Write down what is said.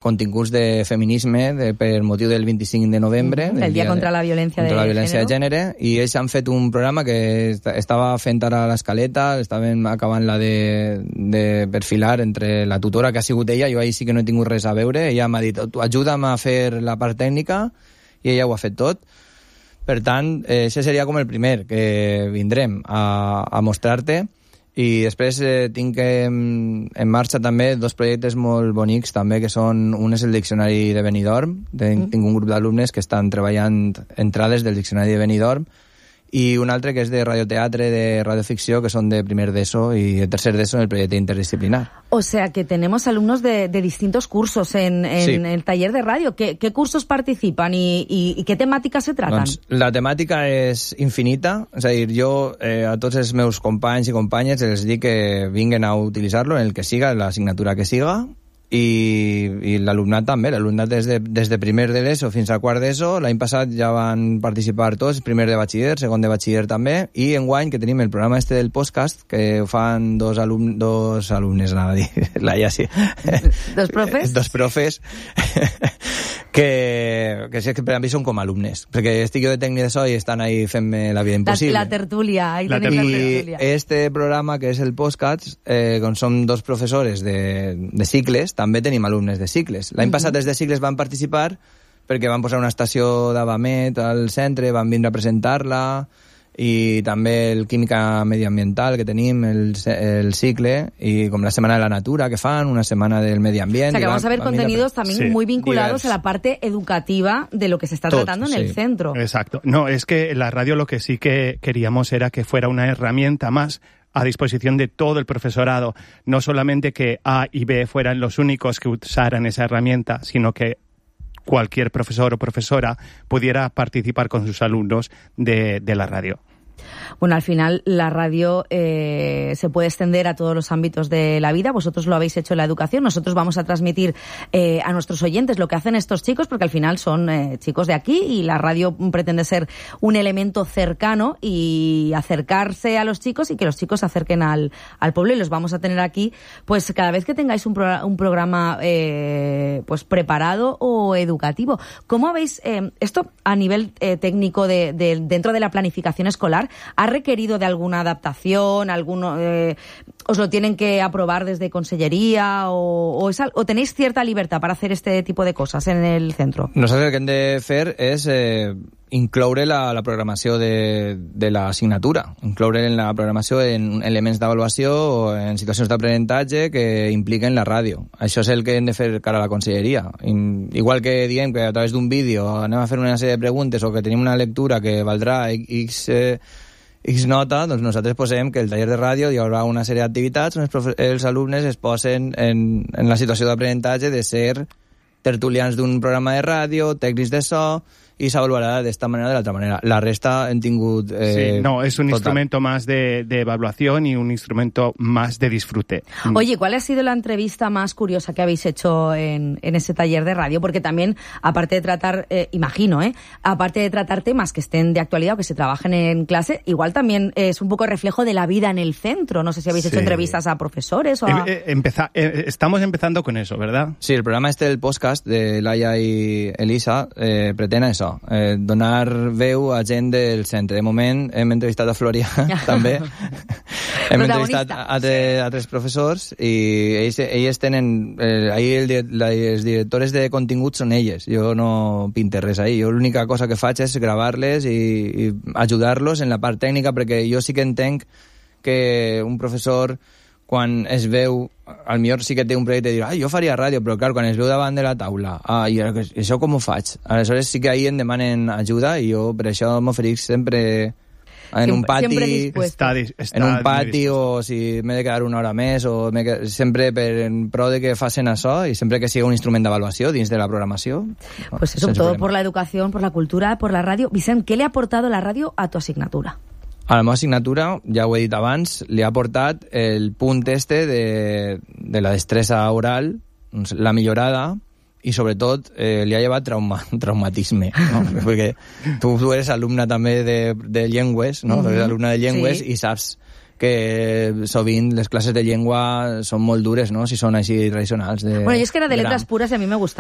continguts de feminisme per motiu del 25 de novembre. El dia contra la violència de gènere. I ells han fet un programa que estava fent ara l'escaleta, estaven acabant-la de perfilar entre la tutora, que ha sigut ella, jo ahir sí que no he tingut res a veure, ella m'ha dit, ajuda'm a fer la part tècnica, i ella ho ha fet tot. Per tant, això seria com el primer que vindrem a mostrar-te. I després tinc en marxa també dos projectes molt bonics també, que són, un és el Diccionari de Benidorm, tinc un grup d'alumnes que estan treballant entrades del Diccionari de Benidorm, i un altre que és de radioteatre, de radioficció, que son de primer d'ESO y de tercer d'ESO en el proyecto interdisciplinar. O sea que tenemos alumnos de distintos cursos en sí. El taller de radio. ¿Qué cursos participan y qué temáticas se tratan? Doncs la temàtica és infinita, és a dir, jo a tots els meus companys i companyes els dic que vinguen a utilitzar-lo en el que siga, la assignatura que siga, i l'alumnat també, l'alumnat des de primer de l'ESO fins a quart d'ESO. L'any passat ja van participar tots, primer de batxiller, segon de batxiller també, i enguany que tenim el programa del podcast, que ho fan dos alumnes, anava a dir, Laia, sí. Dos profes? Dos profes, que per a mi són com alumnes, perquè estic jo de tècnic de so i estan ahí fent-me la vida impossible. La tertúlia, ahí tenim la tertúlia. I este programa, que és el podcast, com som dos professores de cicles, també tenim alumnes de cicles. L'any passat els de cicles van participar perquè van posar una estació d'Avamet al centre, van vindre a presentar-la, i també el Química Medioambiental que tenim, el cicle, y como la Semana de la Natura que fan, una semana del medio ambiente. O sea que vamos a ver contenidos también muy vinculados a la parte educativa de lo que se está tratando en el centro. Exacto. No, es que la radio lo que sí que queríamos era que fuera una herramienta más a disposición de todo el profesorado, no solamente que A y B fueran los únicos que usaran esa herramienta, sino que cualquier profesor o profesora pudiera participar con sus alumnos de la radio. Bueno, al final la radio se puede extender a todos los ámbitos de la vida. Vosotros lo habéis hecho en la educación. Nosotros vamos a transmitir a nuestros oyentes lo que hacen estos chicos, porque al final son chicos de aquí y la radio pretende ser un elemento cercano y acercarse a los chicos y que los chicos se acerquen al pueblo, y los vamos a tener aquí pues cada vez que tengáis un programa pues preparado o educativo. ¿Cómo veis esto a nivel técnico dentro de la planificación escolar? ¿Ha requerido de alguna adaptación? ¿Os lo tienen que aprobar desde consellería o tenéis cierta libertad para hacer este tipo de cosas en el centro? Nosaltres el que hem de fer és incloure la programació de l'assignatura, incloure en la programació en elements d'avaluació o en situacions d'aprenentatge que impliquen la ràdio. Això és el que hem de fer cara a la conselleria. Igual que diem que a través d'un vídeo anem a fer una sèrie de preguntes o que tenim una lectura que valdrà X nota, doncs nosaltres posem que el taller de ràdio hi haurà una sèrie d'activitats on els alumnes es posen en la situació d'aprenentatge de ser tertulians d'un programa de ràdio, tècnics de so, y se evaluará de esta manera o de la otra manera. La resta en tingut... sí, no, es un instrumento más de evaluación y un instrumento más de disfrute. Oye, ¿cuál ha sido la entrevista más curiosa que habéis hecho en ese taller de radio? Porque también, aparte de tratar, imagino, aparte de tratar temas que estén de actualidad o que se trabajen en clase, igual también es un poco reflejo de la vida en el centro. No sé si habéis hecho entrevistas a profesores o a... Estamos empezando con eso, ¿verdad? Sí, el programa del podcast de Laia y Elisa pretén això, donar veu a gent del centre. De moment hem entrevistat a Florià també, hem entrevistat a tres professors i ells tenen ahir les directores de continguts són elles, jo no pinte res ahir, jo l'única cosa que faig és gravar-les i ajudar-los en la part tècnica, perquè jo sí que entenc que un professor quan es veu, al millor sí que té un projecte i dir, jo faria ràdio, però clar, quan es veu davant de la taula, i això com ho faig? Aleshores sí que ahir em demanen ajuda i jo per això m'oferís sempre en un pati, o si m'he de quedar una hora més, o sempre en pro de que facin això i sempre que sigui un instrument d'avaluació dins de la programació. Pues eso, todo por la educación, por la cultura, por la radio. Vicent, ¿qué le ha aportado la radio a tu asignatura? A la meva assignatura, ja ho he dit abans, li ha aportat el punt de la destresa oral, la millorada, i sobretot li ha llevat traumatisme, no? Perquè tu eres alumna també de llengües, no? Eres alumna de llengües, sí. I saps que sovint les classes de llengua són molt dures, no?, si són així tradicionals. Bueno, jo és que era de lletres pures i a mi me gustava.